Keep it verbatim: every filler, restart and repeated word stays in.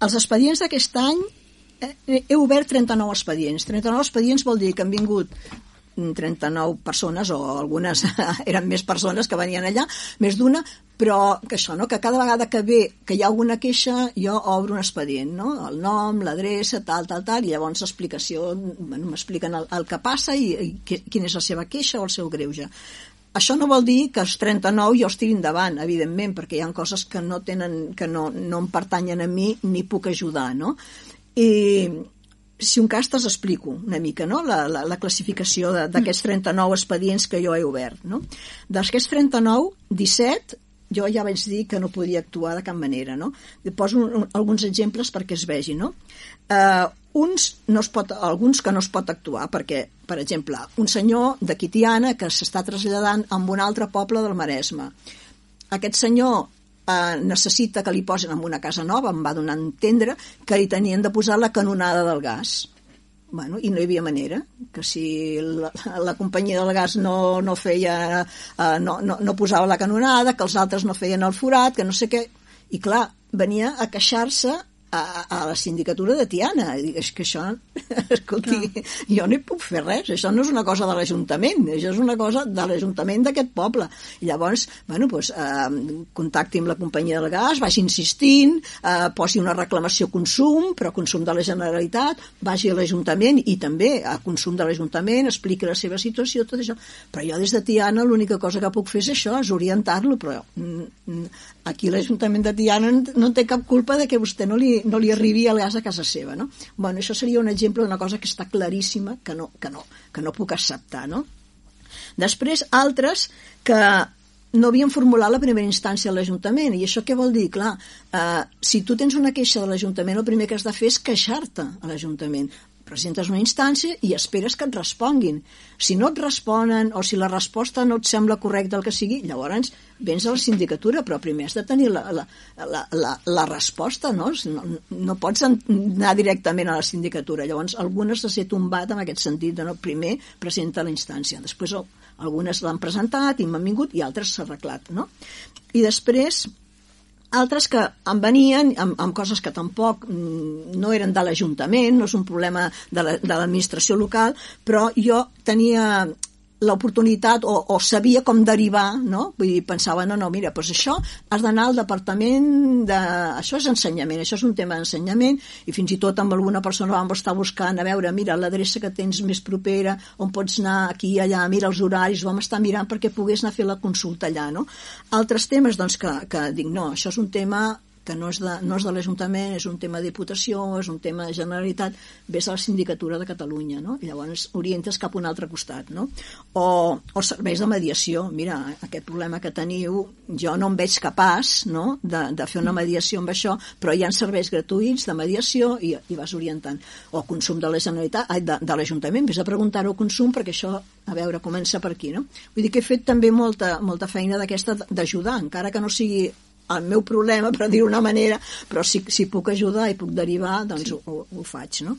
els expedients d'aquest any, eh, he obert trenta-nou expedients. trenta-nou expedients vol dir que han vingut trenta-nou persones, o algunes eren més persones que venien allà, més d'una, però que això, no? Que cada vegada que ve, que hi ha alguna queixa, jo obro un expedient, no? El nom, l'adreça, tal, tal, tal, i llavors l'explicació, bueno, m'expliquen el, el que passa i, i quina és la seva queixa o el seu greuge. Això no vol dir que els trenta-nou jo estigui endavant, evidentment, perquè hi ha coses que no tenen, que no, no em pertanyen a mi ni puc ajudar, no? I si un cas t'es explico una mica, no? la, la, la classificació d'aquests trenta-nou expedients que jo he obert, no? D'aquests trenta-nou, disset jo ja vaig dir que no podia actuar de cap manera, no? Poso un, un, alguns exemples perquè es vegi, no? Uh, uns no es pot, alguns que no es pot actuar perquè, per exemple, un senyor de Quitiana que s'està traslladant a un altre poble del Maresme. Aquest senyor eh, necessita que li posen en una casa nova, em va donar a entendre que li tenien de posar la canonada del gas. Bueno, i no hi havia manera, que si la, la companyia del gas no, no feia, eh, no, no, no posava la canonada, que els altres no feien el forat, que no sé què, i clar, venia a queixar-se a, a la sindicatura de Tiana. I dic, és que això, escolti, no. Jo no hi puc fer res, això no és una cosa de l'Ajuntament, això és una cosa de l'Ajuntament d'aquest poble. I llavors, bueno, doncs, eh, contacti amb la companyia del gas, vagi insistint, eh, posi una reclamació consum, però consum de la Generalitat, vagi a l'Ajuntament i també a consum de l'Ajuntament, expliqui la seva situació, tot això. Però jo des de Tiana l'única cosa que puc fer és això, és orientar-lo, però mm, aquí l'Ajuntament de Tiana no té cap culpa de que vostè no li no li arribi el gas a casa seva, no? Bueno, això seria un exemple d'una cosa que està claríssima que no, que no, que no puc acceptar, no? Després, altres que no havien formulat la primera instància a l'Ajuntament, i això què vol dir? Clar, eh, si tu tens una queixa de l'Ajuntament, el primer que has de fer és queixar-te a l'Ajuntament. Presentes una instància i esperes que et responguin. Si no et responen o si la resposta no et sembla correcta el que sigui, llavors vens a la sindicatura, però primer has de tenir la, la, la, la, la resposta, no? No, no pots anar directament a la sindicatura. Llavors, algunes s'ha tombat en aquest sentit de no, primer presenta la instància, després algunes l'han presentat i m'han vingut i altres s'ha arreglat, no? I després altres que em venien amb, amb coses que tampoc no eren de l'Ajuntament, no és un problema de l'administració la, local, però jo tenia l'oportunitat o, o sabia com derivar, no? Vull dir, pensava, no, no, mira, doncs això has d'anar al departament de... Això és ensenyament, això és un tema d'ensenyament, i fins i tot amb alguna persona vam estar buscant, a veure, mira, l'adreça que tens més propera, on pots anar aquí i allà, mira els horaris, vam estar mirant perquè pogués anar a fer la consulta allà, no? Altres temes, doncs, que, que dic, no, això és un tema que no és de, no és de l'Ajuntament, és un tema de Diputació, és un tema de Generalitat, ves a la Sindicatura de Catalunya, no? I llavors orientes cap a un altre costat, no? O, o serveis de mediació. Mira, aquest problema que teniu, jo no em veig capaç, no?, de, de fer una mediació amb això, però hi ha serveis gratuïts de mediació i, i vas orientant. O consum de la Generalitat, ai, de, de l'Ajuntament, ves a preguntar-ho consum, perquè això, a veure, comença per aquí, no? Vull dir que he fet també molta, molta feina d'aquesta d'ajudar, encara que no sigui el meu problema, per dir-ho d'una manera, però si, si puc ajudar i puc derivar, doncs sí. ho, ho faig, no?